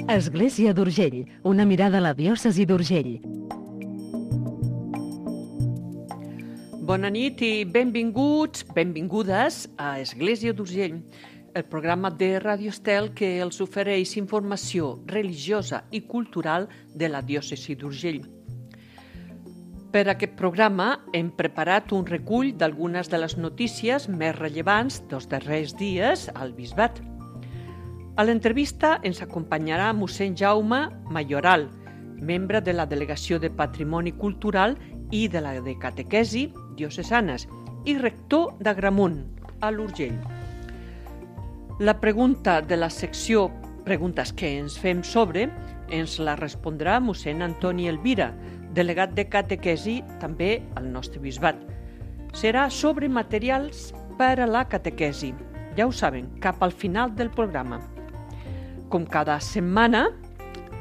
Església d'Urgell, una mirada a la diòcesi d'Urgell. Bona nit i benvinguts, benvingudes a Església d'Urgell, el programa de Ràdio Estel que els ofereix informació religiosa i cultural de la diòcesi d'Urgell. Per aquest programa hem preparat un recull d'algunes de les notícies més rellevants dels darrers dies al Bisbat. A l'entrevista ens acompanyarà mossèn Jaume Mayoral, membre de la Delegació de Patrimoni Cultural i de la de Catequesi Diocesanes i rector d'Agramunt, a l'Urgell. La pregunta de la secció Preguntes que ens fem sobre ens la respondrà mossèn Antoni Elvira, delegat de Catequesi també al nostre bisbat. Serà sobre materials per a la catequesi. Ja ho saben, cap al final del programa. Com cada setmana,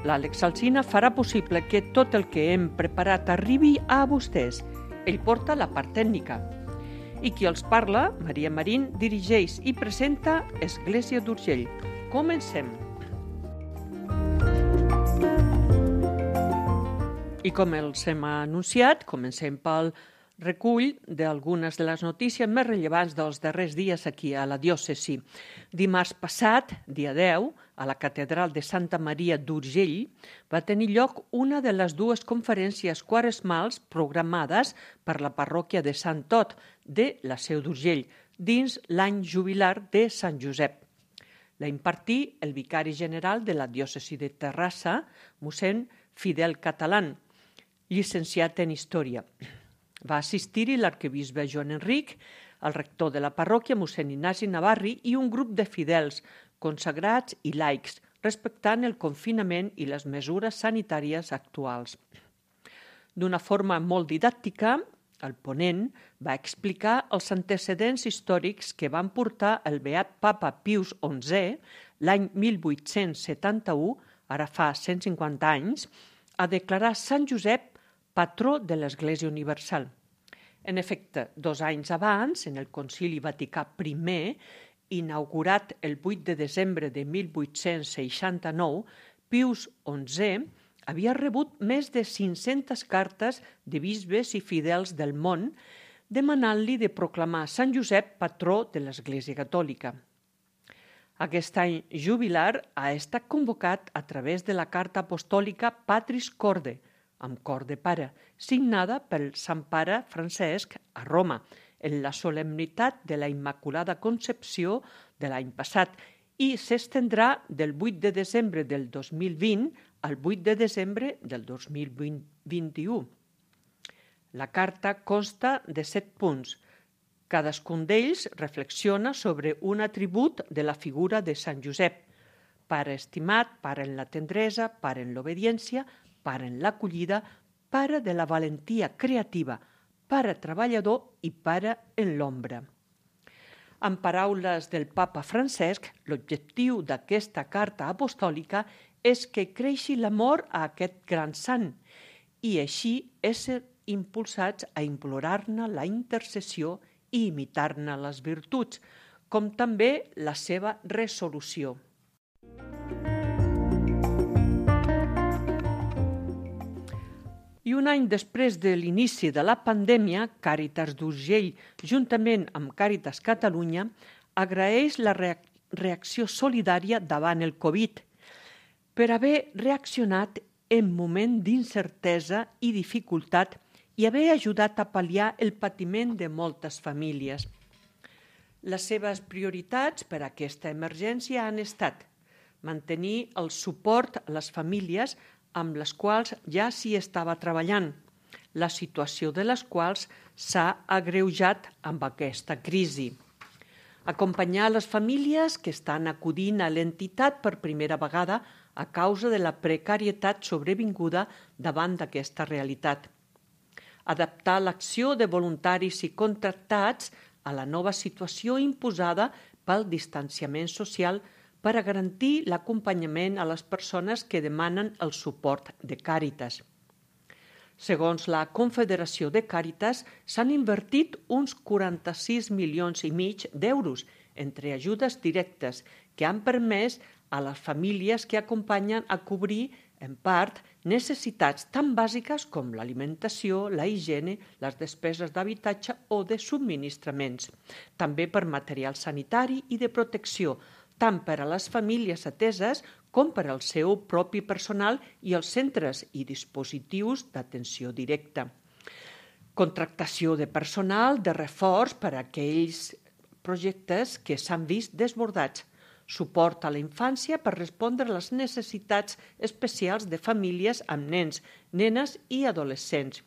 l'Àlex Alsina farà possible que tot el que hem preparat arribi a vostès. Ell porta la part tècnica. I qui els parla, Maria Marín, dirigeix i presenta Església d'Urgell. Comencem! I com els hem anunciat, comencem pel recull d'algunes de les notícies més rellevants dels darrers dies aquí a la diòcesi. Dimarts passat, dia 10, a la Catedral de Santa Maria d'Urgell, va tenir lloc una de les dues conferències quaresmals programades per la parròquia de Sant Tot de la Seu d'Urgell, dins l'any jubilar de Sant Josep. La impartí el vicari general de la diòcesi de Terrassa, mossèn Fidel Catalán, llicenciat en Història. Va assistir-hi l'arquebisbe Joan Enric, el rector de la parròquia, mossèn Ignasi Navarri, i un grup de fidels, consagrats i laics, respectant el confinament i les mesures sanitàries actuals. D'una forma molt didàctica, el ponent va explicar els antecedents històrics que van portar el beat Papa Pius XI, l'any 1871, ara fa 150 anys, a declarar Sant Josep patró de l'Església Universal. En efecte, 2 anys abans, en el Concili Vaticà I, inaugurat el 8 de desembre de 1869, Pius XI havia rebut més de 500 cartes de bisbes i fidels del món demanant-li de proclamar Sant Josep patró de l'Església Catòlica. Aquest any jubilar ha estat convocat a través de la carta apostòlica Patris Corde, amb cor de pare, signada pel Sant Pare Francesc a Roma, en la solemnitat de la Immaculada Concepció de l'any passat, i s'estendrà del 8 de desembre del 2020 al 8 de desembre del 2021. La carta consta de 7 punts. Cadascun d'ells reflexiona sobre un atribut de la figura de Sant Josep, pare estimat, pare en la tendresa, pare en l'obediència, pare en l'acollida, pare de la valentia creativa, pare treballador i pare en l'ombra. En paraules del papa Francesc, l'objectiu d'aquesta carta apostòlica és que creixi l'amor a aquest gran sant i així ésser impulsats a implorar-ne la intercessió i imitar-ne les virtuts, com també la seva resolució. I un any després de l'inici de la pandèmia, Càritas d'Urgell, juntament amb Càritas Catalunya, agraeix la reacció solidària davant el Covid per haver reaccionat en moment d'incertesa i dificultat i haver ajudat a pal·liar el patiment de moltes famílies. Les seves prioritats per a aquesta emergència han estat mantenir el suport a les famílies amb les quals ja s'hi estava treballant, la situació de les quals s'ha agreujat amb aquesta crisi. Acompanyar les famílies que estan acudint a l'entitat per primera vegada a causa de la precarietat sobrevinguda davant d'aquesta realitat. Adaptar l'acció de voluntaris i contractats a la nova situació imposada pel distanciament social per a garantir l'acompanyament a les persones que demanen el suport de Càritas. Segons la Confederació de Càritas, s'han invertit uns 46,5 milions d'euros entre ajudes directes que han permès a les famílies que acompanyen a cobrir, en part, necessitats tan bàsiques com l'alimentació, la higiene, les despeses d'habitatge o de subministraments. També per material sanitari i de protecció, tant per a les famílies ateses com per al seu propi personal i els centres i dispositius d'atenció directa. Contractació de personal de reforç per a aquells projectes que s'han vist desbordats. Suport a la infància per respondre a les necessitats especials de famílies amb nens, nenes i adolescents.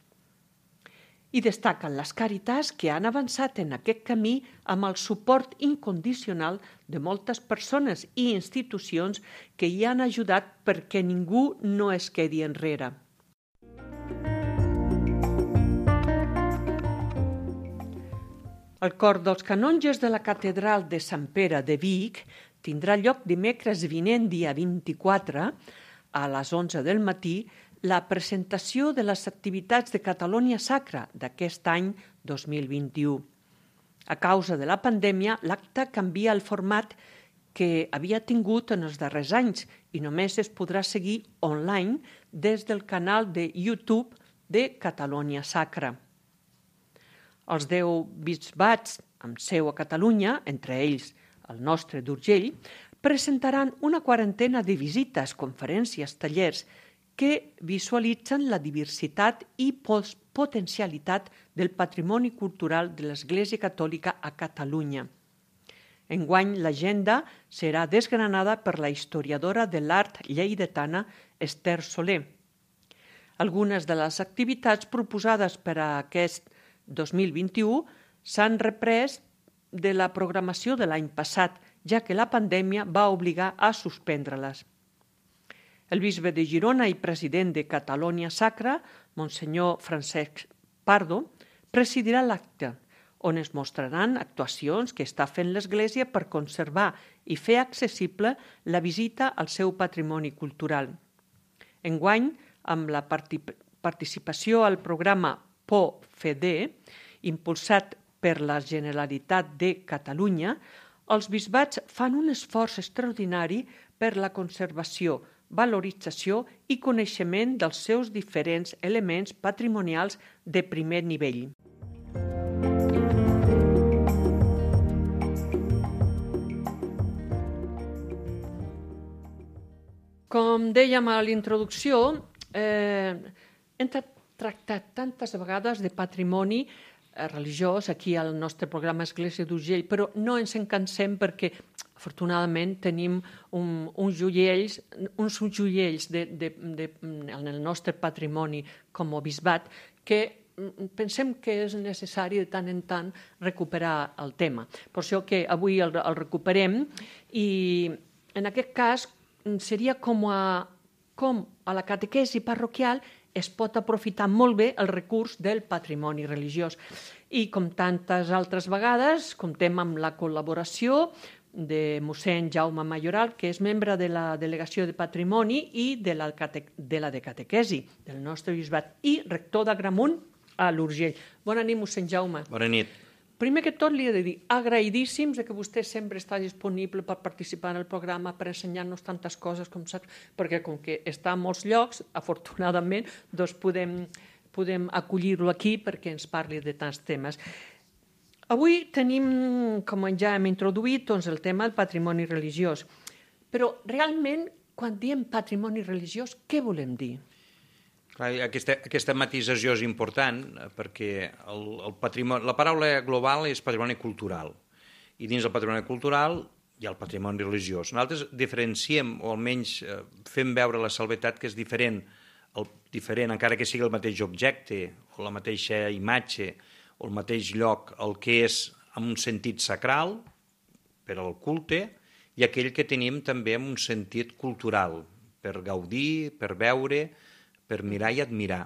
I destaquen les caritats que han avançat en aquest camí amb el suport incondicional de moltes persones i institucions que hi han ajudat perquè ningú no es quedi enrere. El cor dels canonges de la catedral de Sant Pere de Vic tindrà lloc dimecres vinent, dia 24, a les 11 del matí, la presentació de les activitats de Catalunya Sacra d'aquest any 2021. A causa de la pandèmia, l'acte canvia el format que havia tingut en els darrers anys i només es podrà seguir online des del canal de YouTube de Catalunya Sacra. Els 10 bisbats amb seu a Catalunya, entre ells el nostre d'Urgell, presentaran una quarantena de visites, conferències, tallers que visualitzen la diversitat i potencialitat del patrimoni cultural de l'Església Catòlica a Catalunya. Enguany, l'agenda serà desgranada per la historiadora de l'art lleidatana Esther Soler. Algunes de les activitats proposades per a aquest 2021 s'han reprès de la programació de l'any passat, ja que la pandèmia va obligar a suspendre-les. El bisbe de Girona i president de Catalunya Sacra, Monsenyor Francesc Pardo, presidirà l'acte, on es mostraran actuacions que està fent l'Església per conservar i fer accessible la visita al seu patrimoni cultural. Enguany, amb la participació al programa PO-FEDE, impulsat per la Generalitat de Catalunya, els bisbats fan un esforç extraordinari per la conservació, valorització i coneixement dels seus diferents elements patrimonials de primer nivell. Com dèiem a l'introducció, hem tractat tantes vegades de patrimoni religiós aquí al nostre programa Església d'Urgell, però no ens en cansem perquè afortunadament tenim uns joiells en el nostre patrimoni com a bisbat que pensem que és necessari de tant en tant recuperar el tema. Per això que avui el recuperem i en aquest cas seria com a la catequesi parroquial es pot aprofitar molt bé el recurs del patrimoni religiós. I com tantes altres vegades, comptem amb la col·laboració de mossèn Jaume Mayoral, que és membre de la Delegació de Patrimoni i de la de Catequesi del nostre bisbat i rector d'Agramunt a l'Urgell. Bona nit, mossèn Jaume. Bona nit. Primer que tot li he de dir agraïdíssims que vostè sempre està disponible per participar en el programa, per ensenyar-nos tantes coses com saps, perquè com que està a molts llocs, afortunadament, doncs podem acollir-lo aquí perquè ens parli de tants temes. Avui tenim, com ja hem introduït, doncs, el tema del patrimoni religiós. Però realment, quan diem patrimoni religiós, què volem dir? Aquesta matisació és important perquè la paraula global és patrimoni cultural i dins del patrimoni cultural hi ha el patrimoni religiós. Nosaltres diferenciem o almenys fem veure la salvetat que és diferent encara que sigui el mateix objecte o la mateixa imatge o el mateix lloc, el que és amb un sentit sacral per al culte i aquell que tenim també amb un sentit cultural per gaudir, per veure, per mirar i admirar.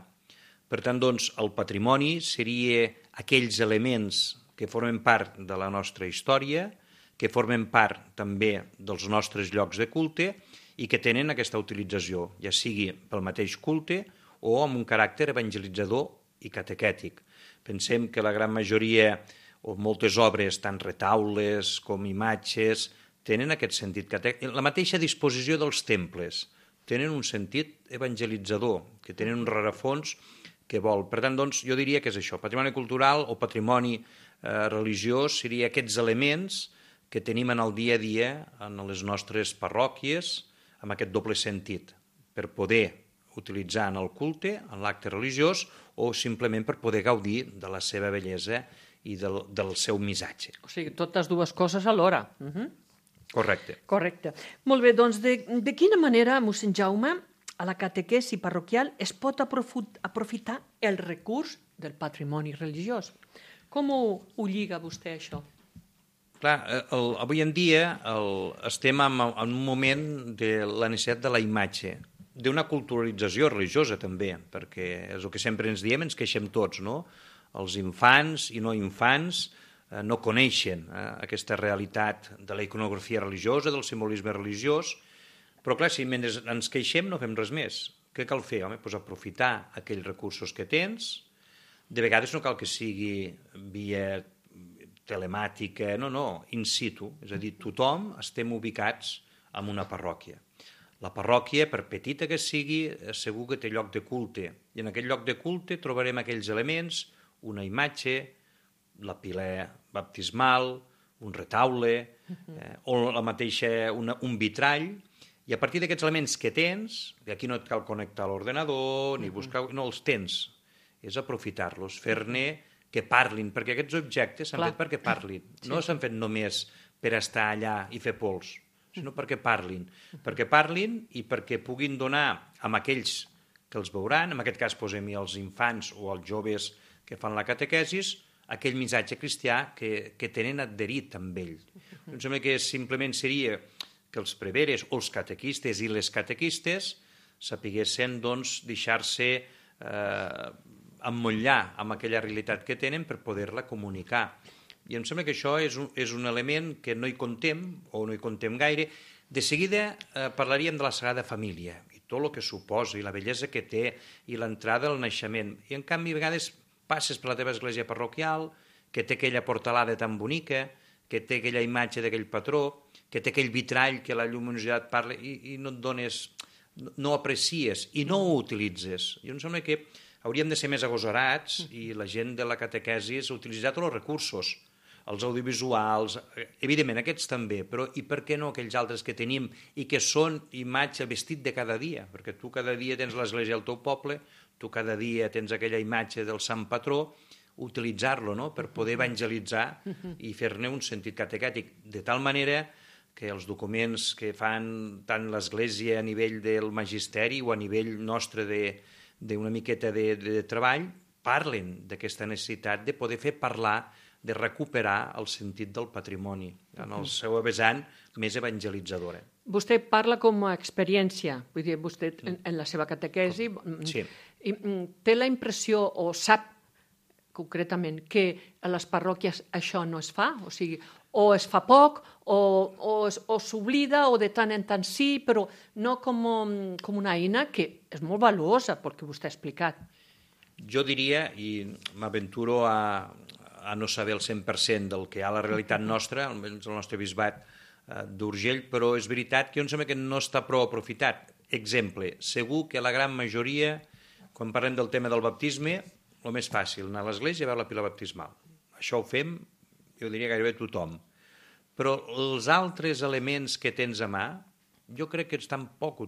Per tant, doncs, el patrimoni seria aquells elements que formen part de la nostra història, que formen part també dels nostres llocs de culte i que tenen aquesta utilització, ja sigui pel mateix culte o amb un caràcter evangelitzador i catequètic. Pensem que la gran majoria o moltes obres, tant retaules com imatges, tenen aquest sentit catèquet. La mateixa disposició dels temples tenen un sentit evangelitzador, que tenen un rerefons que vol. Per tant, doncs, jo diria que és això. Patrimoni cultural o patrimoni religiós seria aquests elements que tenim en el dia a dia en les nostres parròquies, amb aquest doble sentit, per poder utilitzar en el culte, en l'acte religiós, o simplement per poder gaudir de la seva bellesa i del seu missatge. O sigui, totes dues coses alhora. Correcte. Correcte. Molt bé, doncs de quina manera, mossèn Jaume, a la catequesi parroquial es pot aprofitar el recurs del patrimoni religiós? Com ho lliga vostè, això? Clar, avui en dia estem en un moment de la necessitat de la imatge, d'una culturalització religiosa també, perquè és el que sempre ens diem, ens queixem tots, no? Els infants i no infants no coneixen aquesta realitat de la iconografia religiosa, del simbolisme religiós, però clar, si mentre ens queixem no fem res més. Què cal fer? Home, doncs aprofitar aquells recursos que tens. De vegades no cal que sigui via telemàtica, no, in situ, és a dir, tothom estem ubicats en una parròquia. La parròquia, per petita que sigui, segur que té lloc de culte, i en aquell lloc de culte trobarem aquells elements, una imatge, la pila baptismal, un retaule, o la mateixa, un vitrall, i a partir d'aquests elements que tens, aquí no et cal connectar a l'ordenador, ni buscar, no, els tens, és aprofitar-los, fer-ne que parlin, perquè aquests objectes s'han fet perquè parlin. No s'han fet només per estar allà i fer pols, sinó perquè parlin i perquè puguin donar a aquells que els veuran, en aquest cas posem-hi els infants o els joves que fan la catequesis, aquell missatge cristià que tenen adherit amb ell. Em sembla que simplement seria que els preveres o els catequistes i les catequistes sapiguessin doncs, deixar-se emmotllar amb aquella realitat que tenen per poder-la comunicar. I em sembla que això és un element que no hi contem, o no hi contem gaire. De seguida parlaríem de la Sagrada Família, i tot el que suposa, i la bellesa que té, i l'entrada al naixement. I en canvi, a vegades passes per la teva església parroquial, que té aquella portalada tan bonica, que té aquella imatge d'aquell patró, que té aquell vitrall que la lluminositat parla, i no et dones, no aprecies, i no ho utilitzes. I em sembla que hauríem de ser més agosarats i la gent de la catequesis utilitzar tots els recursos, els audiovisuals, evidentment aquests també, però i per què no aquells altres que tenim i que són imatge, vestit de cada dia? Perquè tu cada dia tens l'església al teu poble, tu cada dia tens aquella imatge del sant patró, utilitzar-lo, no?, per poder evangelitzar i fer-ne un sentit catequètic, de tal manera que els documents que fan tant l'església a nivell del magisteri o a nivell nostre d'una miqueta de treball, parlen d'aquesta necessitat de poder fer parlar, de recuperar el sentit del patrimoni en el seu vessant més evangelitzadora. Vostè parla com a experiència, vull dir, vostè en la seva catequesi té la impressió o sap concretament que a les parròquies això no es fa, o sigui, o es fa poc, o s'oblida, o de tant en tant sí, però no com una eina que és molt valuosa, perquè vostè ha explicat. Jo diria, i m'aventuro a no saber el 100% del que hi ha a la realitat nostra, almenys el nostre bisbat d'Urgell, però és veritat que jo em sembla que no està prou aprofitat. Exemple, segur que la gran majoria, quan parlem del tema del baptisme, el més fàcil, anar a l'església i veure la pila baptismal. Això ho fem, jo diria gairebé tothom. Però els altres elements que tens a mà, jo crec que estan poc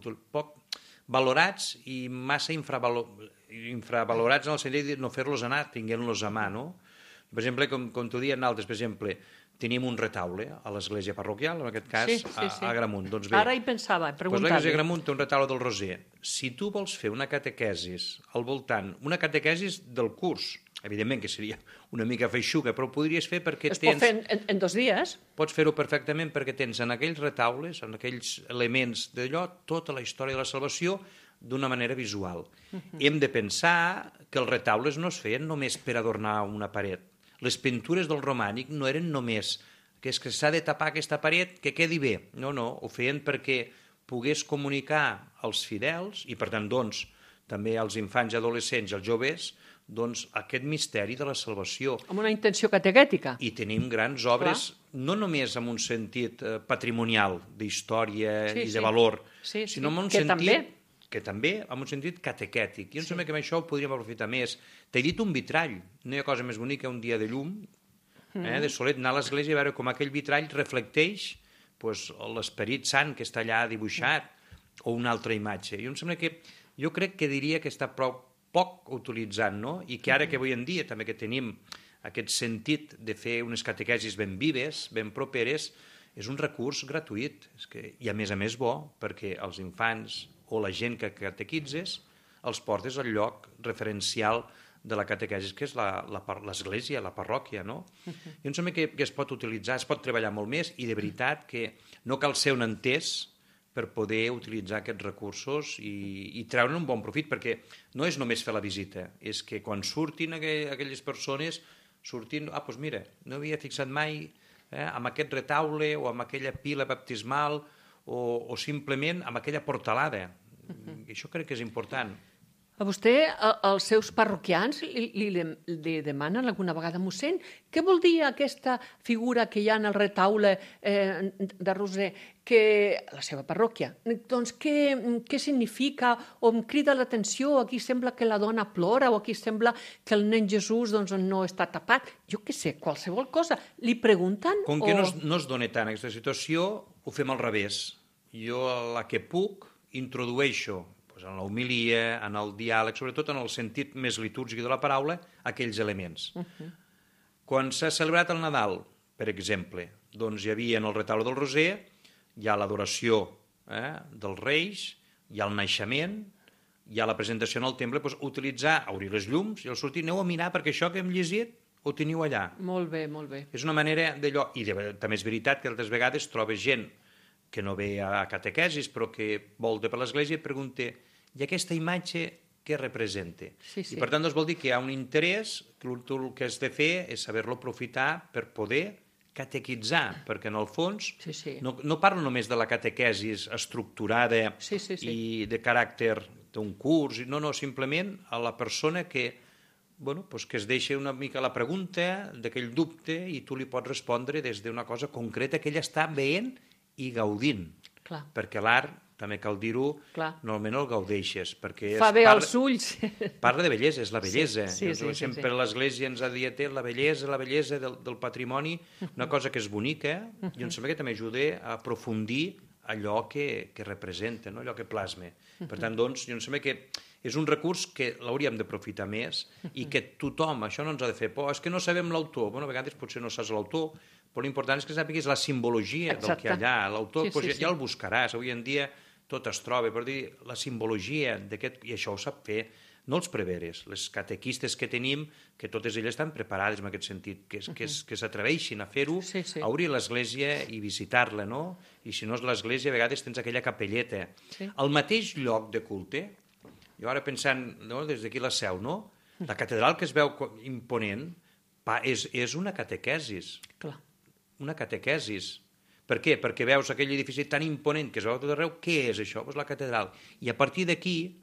valorats i massa infravalorats en el sentit de no fer-los anar, tinguent-los a mà, no? Per exemple, com t'ho diuen altres, per exemple, tenim un retaule a l'església parroquial, en aquest cas, a Agramunt. Doncs bé, ara hi pensava, preguntar-li. L'església Agramunt té un retaule del Roser. Si tu vols fer una catequesis al voltant, una catequesis del curs, evidentment que seria una mica feixuga, però ho podries fer perquè es pot fer en 2 dies. Pots fer-ho perfectament perquè tens en aquells retaules, en aquells elements d'allò, tota la història de la salvació d'una manera visual. Hem de pensar que els retaules no es feien només per adornar una paret. Les pintures del romànic no eren només que és que s'ha de tapar aquesta paret, que quedi bé. No, ho feien perquè pogués comunicar als fidels i, per tant, doncs, també als infants i adolescents i als joves, doncs, aquest misteri de la salvació. Amb una intenció catequètica. I tenim grans obres no només en un sentit patrimonial, d'història i de valor, sinó en un sentit... que també, en un sentit catequètic. Jo em sembla que amb això ho podríem aprofitar més. T'he dit un vitrall. No hi ha cosa més bonica un dia de llum, de solet, anar a l'església i veure com aquell vitrall reflecteix l'esperit sant que està allà dibuixat o una altra imatge. Jo crec que diria que està prou poc utilitzat, no? I que ara que avui en dia també que tenim aquest sentit de fer unes catequesis ben vives, ben properes, és un recurs gratuït. I a més bo, perquè els infants o la gent que catequitzes els portes al lloc referencial de la catequesis, que és l'església, la parròquia, no? Jo em sembla que es pot utilitzar, es pot treballar molt més i de veritat que no cal ser un entès per poder utilitzar aquests recursos i treure'n un bon profit, perquè no és només fer la visita, és que quan surtin aquelles persones, doncs mira, no havia fixat mai amb aquest retaule o amb aquella pila baptismal o simplement amb aquella portalada. Això crec que és important. A vostè, els seus parroquians li demanen alguna vegada, mossèn, què vol dir aquesta figura que hi ha en el retaule de Roser, que la seva parròquia? Doncs què significa? O em crida l'atenció, aquí sembla que la dona plora, o aquí sembla que el nen Jesús no està tapat. Jo què sé, qualsevol cosa. Li pregunten? Com que no es dona tant aquesta situació, ho fem al revés. Jo, la que puc, introdueixo en l'homilia, en el diàleg, sobretot en el sentit més litúrgic de la paraula, aquells elements. Quan s'ha celebrat el Nadal, per exemple, doncs hi havia en el retaule del Roser, hi ha l'adoració dels Reis, hi ha el naixement, hi ha la presentació en el temple, doncs utilitzar, obrir les llums i al sortir, aneu a mirar perquè això que hem llegit ho teniu allà. Molt bé, molt bé. És una manera d'allò, i també és veritat que altres vegades trobes gent que no ve a catequesis però que volta per l'església i pregunta i aquesta imatge què representa? I per tant doncs, vol dir que hi ha un interès, que el que has de fer és saber-lo aprofitar per poder catequitzar, perquè en el fons no parlo només de la catequesis estructurada i de caràcter d'un curs, no, simplement a la persona que es deixa una mica la pregunta d'aquell dubte i tu li pots respondre des d'una cosa concreta que ella està veient i gaudint, perquè l'art, també cal dir-ho, normalment el gaudeixes. Fa bé als ulls. Parla de bellesa, és la bellesa. Sempre l'Església ens ha dit la bellesa del patrimoni, una cosa que és bonica, i em sembla que també ajuda a aprofundir allò que representa, allò que plasma. Per tant, doncs, jo em sembla que és un recurs que l'hauríem d'aprofitar més i que tothom, això no ens ha de fer por, és que no sabem l'autor, a vegades potser no saps l'autor, però l'important és que sàpiguis la simbologia del que hi ha allà. L'autor ja el buscaràs, avui en dia tot es troba, per dir, la simbologia d'aquest, i això ho sap fer, no els preveres, les catequistes que tenim, que totes elles estan preparades en aquest sentit, que s'atreveixin a fer-ho, a obrir l'església i visitar-la, no? I si no és l'església, a vegades tens aquella capelleta. Al mateix lloc de culte, jo ara pensant, des d'aquí la Seu, no? La catedral que es veu imponent és una catequesis. Clar. Una catequesis. Per què? Perquè veus aquell edifici tan imponent que es veu a tot arreu. Què és això? Doncs la catedral. I a partir d'aquí,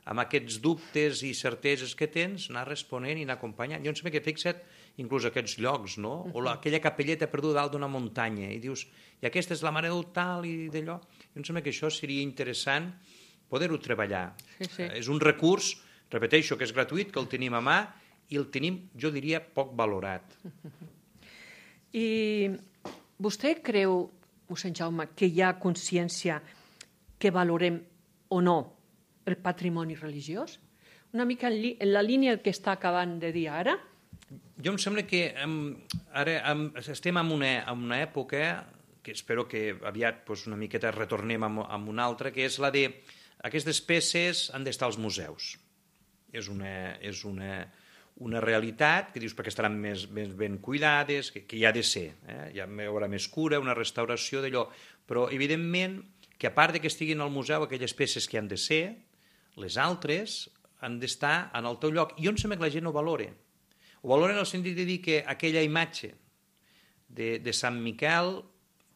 amb aquests dubtes i certeses que tens, anar responent i anar acompanyant. Jo em sembla que fixa't inclús aquests llocs, no? O aquella capelleta perduda dalt d'una muntanya i dius, i aquesta és la mare del tal i d'allò. Jo em sembla que això seria interessant poder-ho treballar. És un recurs, repeteixo, que és gratuït, que el tenim a mà i el tenim, jo diria, poc valorat. I vostè creu, mossèn Jaume, que hi ha consciència que valorem o no el patrimoni religiós? Una mica en la línia que està acabant de dir ara? Jo em sembla que ara estem en una època que espero que aviat una miqueta retornem a una altra, que és la de aquestes peces han d'estar als museus. És una realitat que dius perquè estaran més ben cuidades, que hi ha de ser, hi haurà més cura, una restauració d'allò, però evidentment que a part que estiguin al museu aquelles peces que han de ser, les altres han d'estar en el teu lloc. I on sembla que la gent ho valora? Ho valora en el sentit de dir que aquella imatge de Sant Miquel,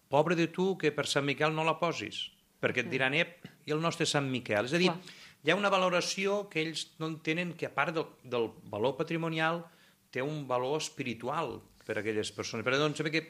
pobre de tu que per Sant Miquel no la posis, perquè et diran, i el nostre Sant Miquel. És a dir, hi ha una valoració que ells no entenen que a part del valor patrimonial té un valor espiritual per a aquelles persones. Per tant, sembla que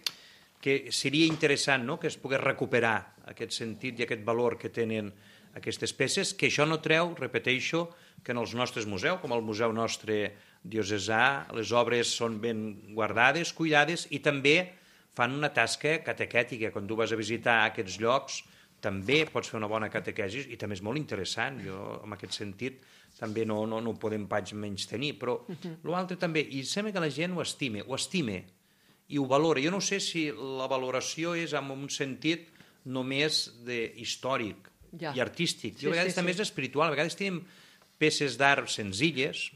que seria interessant, no?, que es pogués recuperar aquest sentit i aquest valor que tenen aquestes peces, que això no treu, repeteixo, que en els nostres museus, com el museu nostre diocesà, les obres són ben guardades, cuidades, i també fan una tasca catequètica. Quan tu vas a visitar aquests llocs, també pots fer una bona catequesi, i també és molt interessant. Jo, en aquest sentit, també no ho podem pas menys tenir, però l'altre també, i sembla que la gent ho estime i ho valora. Jo no sé si la valoració és en un sentit només històric i artístic. Jo a vegades també és espiritual. A vegades tenim peces d'art senzilles,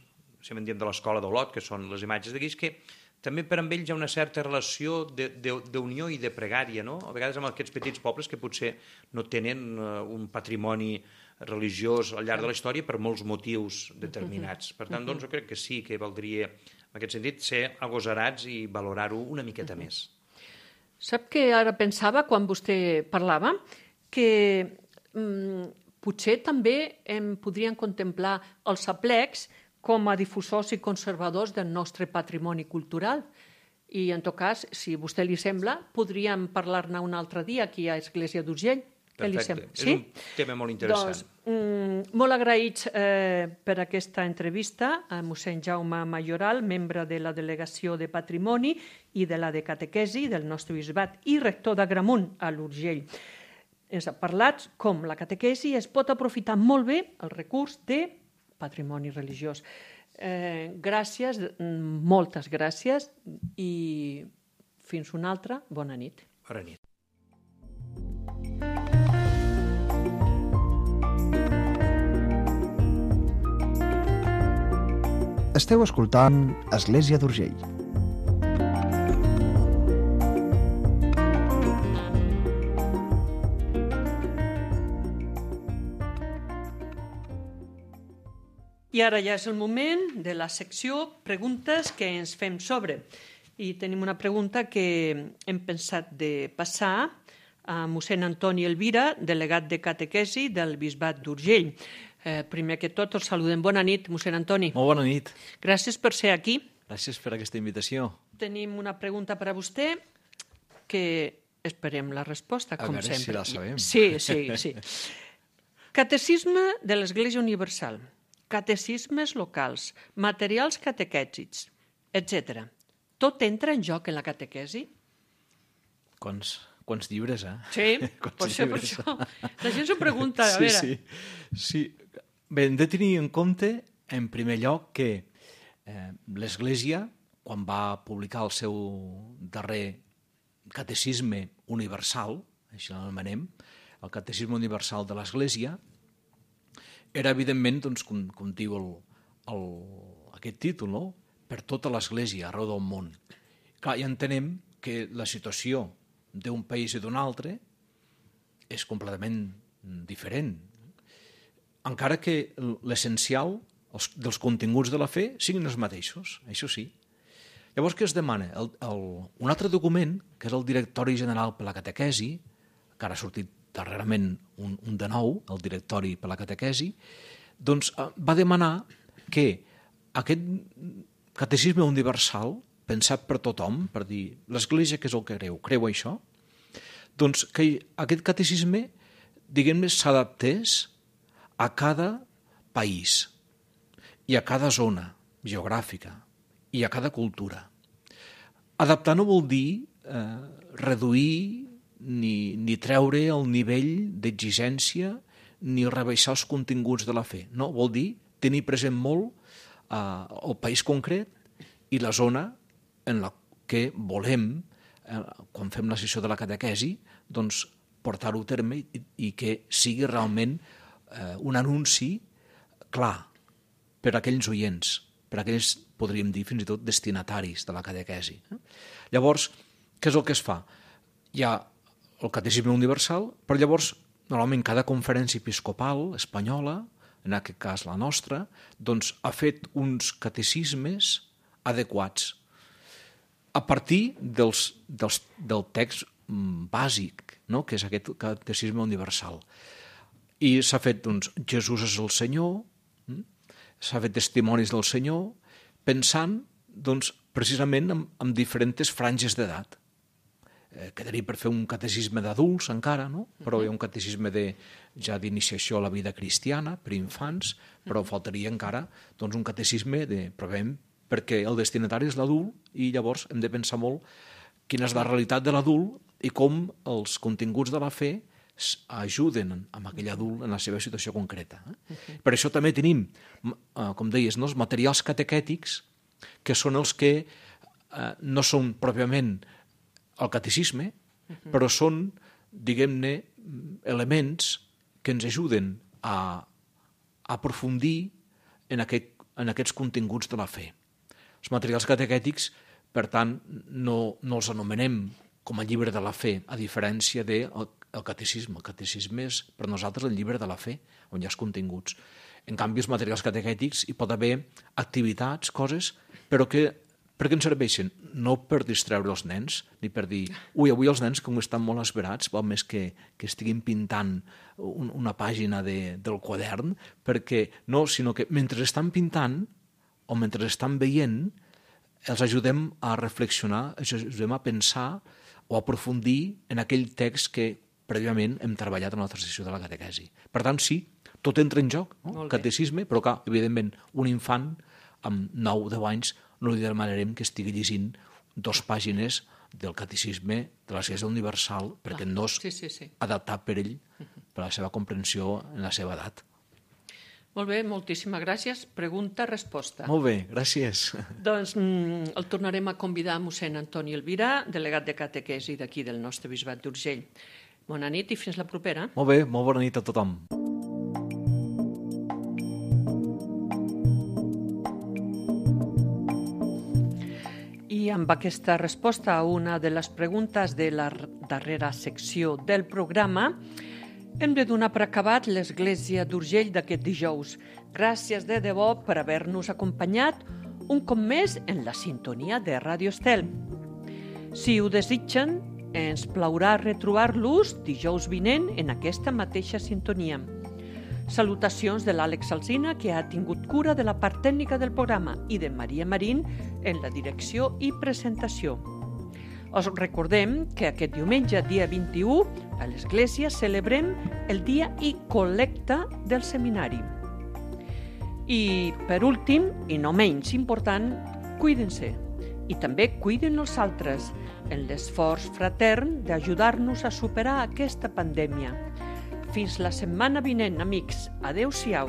si en diem de l'escola d'Olot, que són les imatges de guix, que també per amb ells hi ha una certa relació d'unió i de pregària, no? A vegades amb aquests petits pobles que potser no tenen un patrimoni religiós al llarg de la història per molts motius determinats. Per tant, doncs, jo crec que sí que valdria, en aquest sentit, ser agosarats i valorar-ho una miqueta més. Sap que ara pensava, quan vostè parlava, que potser també podrien contemplar els aplecs com a difusors i conservadors del nostre patrimoni cultural. I, en tot cas, si a vostè li sembla, podríem parlar-ne un altre dia aquí a Església d'Urgell. Perfecte. És un tema molt interessant. Doncs, molt agraïts per aquesta entrevista a mossèn Jaume Mayoral, membre de la Delegació de Patrimoni i de la de Catequesi del nostre bisbat i rector d'Agramunt a l'Urgell. Ens ha parlat com la catequesi es pot aprofitar molt bé el recurs de patrimoni religiós. Gràcies, moltes gràcies, i fins una altra. Bona nit. Bona nit. Esteu escoltant Església d'Urgell. I ara ja és el moment de la secció Preguntes que ens fem sobre. I tenim una pregunta que hem pensat de passar a mossèn Antoni Elvira, delegat de catequesi del bisbat d'Urgell. Primer que tot, els saludem. Bona nit, mossèn Antoni. Molt bona nit. Gràcies per ser aquí. Gràcies per aquesta invitació. Tenim una pregunta per a vostè que esperem la resposta, com sempre. A veure si la sabem. Sí. Catecisme de l'Església Universal, catecismes locals, materials catequètics, etc. Tot entra en joc en la catequesi? Quants llibres, eh? Sí, per això. La gent s'ho pregunta, a veure. Sí. Bé, hem de tenir en compte, en primer lloc, que l'Església, quan va publicar el seu darrer catecisme universal, així l'anomenem, el catecisme universal de l'Església, era, evidentment, doncs, com diu aquest títol, no?, per tota l'Església, arreu del món. Clar, ja entenem que la situació d'un país i d'un altre és completament diferent, encara que l'essencial dels continguts de la fe siguin els mateixos, això sí. Llavors, què es demana? Un altre document, que és el Directori General per la Catequesi, que ara ha sortit darrerament un de nou, el Directori per la Catequesi, doncs va demanar que aquest catecisme universal, pensat per tothom, per dir l'Església què és el que creu això, doncs que aquest catecisme, diguem-ne, s'adaptés a cada país i a cada zona geogràfica i a cada cultura. Adaptar no vol dir reduir ni treure el nivell d'exigència ni rebaixar els continguts de la fe. No, vol dir tenir present molt el país concret i la zona en la que volem, quan fem la sessió de la catequesi, doncs portar-ho a terme i que sigui realment un anunci clar per a aquells oients, per a aquells, podríem dir, fins i tot destinataris de la catequesi. Llavors, què és el que es fa? Hi ha el catecisme universal, però llavors, normalment, cada conferència episcopal espanyola, en aquest cas la nostra, doncs ha fet uns catecismes adequats a partir del text bàsic, no?, que és aquest catecisme universal. I s'ha fet, doncs, Jesús és el Senyor, s'ha fet testimonis del Senyor, pensant, doncs, precisament en diferents franges d'edat. quedaria per fer un catecisme d'adults encara, no? Però hi ha un catecisme ja d'iniciació a la vida cristiana per infants, però faltaria encara doncs, un catecisme perquè el destinatari és l'adult i llavors hem de pensar molt quina és la realitat de l'adult i com els continguts de la fe ajuden amb aquell adult en la seva situació concreta. Per això també tenim, com deies, els materials catequètics, que són els que no són pròpiament el catecisme, però són, diguem-ne, elements que ens ajuden a aprofundir en aquests continguts de la fe. Els materials catequètics, per tant, no els anomenem com a llibre de la fe, a diferència del catecisme. El catecisme és per nosaltres el llibre de la fe, on hi ha els continguts. En canvi, els materials catequètics hi pot haver activitats, coses, però que per què ens serveixen? No per distreure els nens, ni per dir, avui els nens com estan molt esperats, val més que estiguin pintant una pàgina del quadern, perquè no, sinó que mentre estan pintant o mentre estan veient, els ajudem a reflexionar, els ajudem a pensar o a aprofundir en aquell text que prèviament hem treballat en la nostra sessió de la catequesi. Per tant, sí, tot entra en joc, no? Catecisme, però clar, evidentment, un infant amb 9-10 anys no li demanarem que estigui llegint 2 pàgines del catecisme de l'Església Universal perquè no és adaptat per ell, per la seva comprensió en la seva edat. Molt bé, moltíssimes gràcies. Pregunta-resposta. Molt bé, gràcies. Doncs el tornarem a convidar a mossèn Antoni Elvirà, delegat de catequesi d'aquí del nostre bisbat d'Urgell. Bona nit i fins la propera. Molt bé, molt bona nit a tothom. I amb aquesta resposta a una de les preguntes de la darrera secció del programa, hem de donar per acabat l'Església d'Urgell d'aquest dijous. Gràcies de debò per haver-nos acompanyat un cop més en la sintonia de Ràdio Estel. Si ho desitgen, ens plaurà retrobar-los dijous vinent en aquesta mateixa sintonia. Salutacions de l'Àlex Alsina, que ha tingut cura de la part tècnica del programa, i de Maria Marín en la direcció i presentació. Us recordem que aquest diumenge, dia 21, a l'Església celebrem el dia i col·lecta del seminari. I, per últim, i no menys important, cuiden-se. I també cuiden els altres en l'esforç fratern d'ajudar-nos a superar aquesta pandèmia. Fins la setmana vinent, amics. Adéu-siau.